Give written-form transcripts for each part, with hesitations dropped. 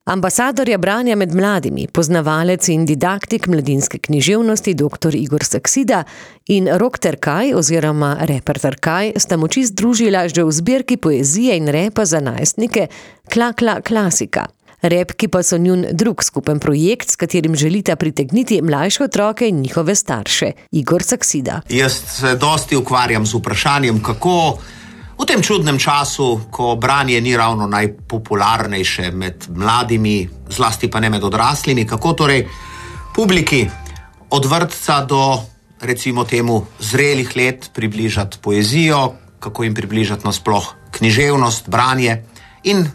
Ambasadorja branja med mladimi, poznavalec in didaktik mladinske književnosti dr. Igor Saksida in Rok Terkaj oziroma reper Terkaj sta moči združila že v zbirki poezije in repa za najstnike Kla klasika. Repki pa so njun drug skupen projekt, s katerim želita pritegniti mlajše otroke in njihove starše. Igor Saksida. Jaz se dosti ukvarjam z vprašanjem, kako v tem čudnem času, ko branje ni ravno najpopularnejše med mladimi, zlasti pa ne med odraslimi, kako torej publiki od vrtca do, recimo temu, zrelih let približati poezijo, kako jim približati nasploh književnost, branje in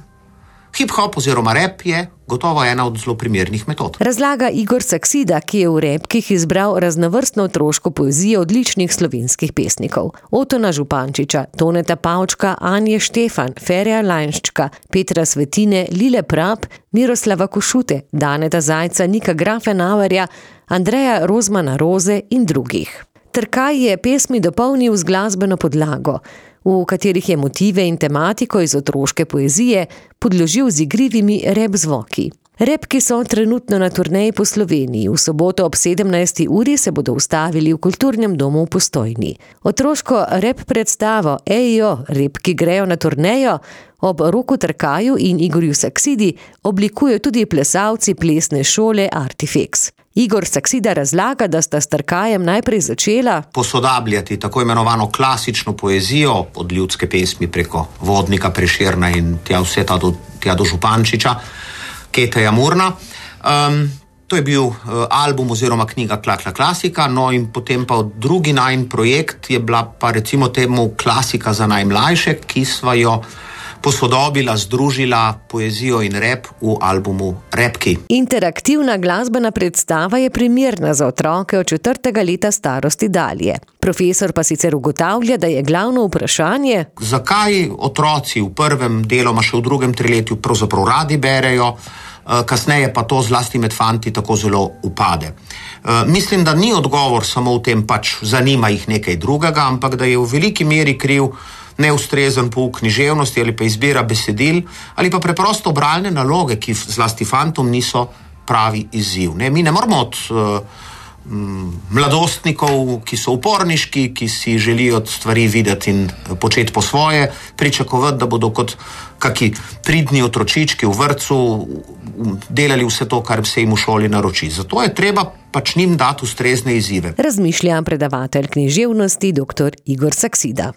hip-hop oziroma rap je gotovo ena od zelo primernih metod. Razlaga Igor Saksida, ki je v repkih izbral raznovrstno otroško poezijo odličnih slovenskih pesnikov. Otona Župančiča, Toneta Pavčka, Anje Štefan, Ferija Lajnščka, Petra Svetine, Lile Prap, Miroslava Košute, Daneta Zajca, Nika Grafenauerja, Andreja Rozmana Roze in drugih. Terkaj je pesmi dopolnil z glasbeno podlago, v katerih je motive in tematiko iz otroške poezije podložil z igrivimi rap zvoki. Repki so trenutno na turneji po Sloveniji. V soboto ob 17. uri se bodo ustavili v Kulturnem domu v Postojni. Otroško rap predstavo Ejo, repki grejo na turnejo ob Roku Terkaju in Igorju Saksidi oblikujejo tudi plesalci plesne šole Artifex. Igor Saksida razlaga, da sta s Terkajem najprej začela posodabljati tako imenovano klasično poezijo od ljudske pesmi preko Vodnika, Prešerna in tja do Župančiča, Keteja Murna. To je bil album oziroma knjiga Kla klasika, no in potem pa drugi najin projekt je bila pa recimo temu klasika za najmlajše, ki sva jo posodobila, združila poezijo in rap v albumu Repki. Interaktivna glasbena predstava je primerna za otroke od 4. leta starosti dalje. Profesor pa sicer ugotavlja, da je glavno vprašanje, zakaj otroci v prvem, deloma še v drugem triletju pravzaprav radi berejo, kasneje pa to zlasti med fanti tako zelo upade. Mislim, da ni odgovor samo v tem, pač zanima jih nekaj drugega, ampak da je v veliki meri kriv neustrezen pouk književnosti ali pa izbira besedil ali pa preprosto bralne naloge, ki zlasti fantom niso pravi izziv. Mi ne moramo od mladostnikov, ki so uporniški, ki si želijo stvari videti in početi po svoje, pričakovati, da bodo kot kaki pridni otročički v vrtcu delali vse to, kar se jim v šoli naroči. Zato je treba pač njim dati ustrezne izzive. Razmišlja predavatelj književnosti dr. Igor Saksida.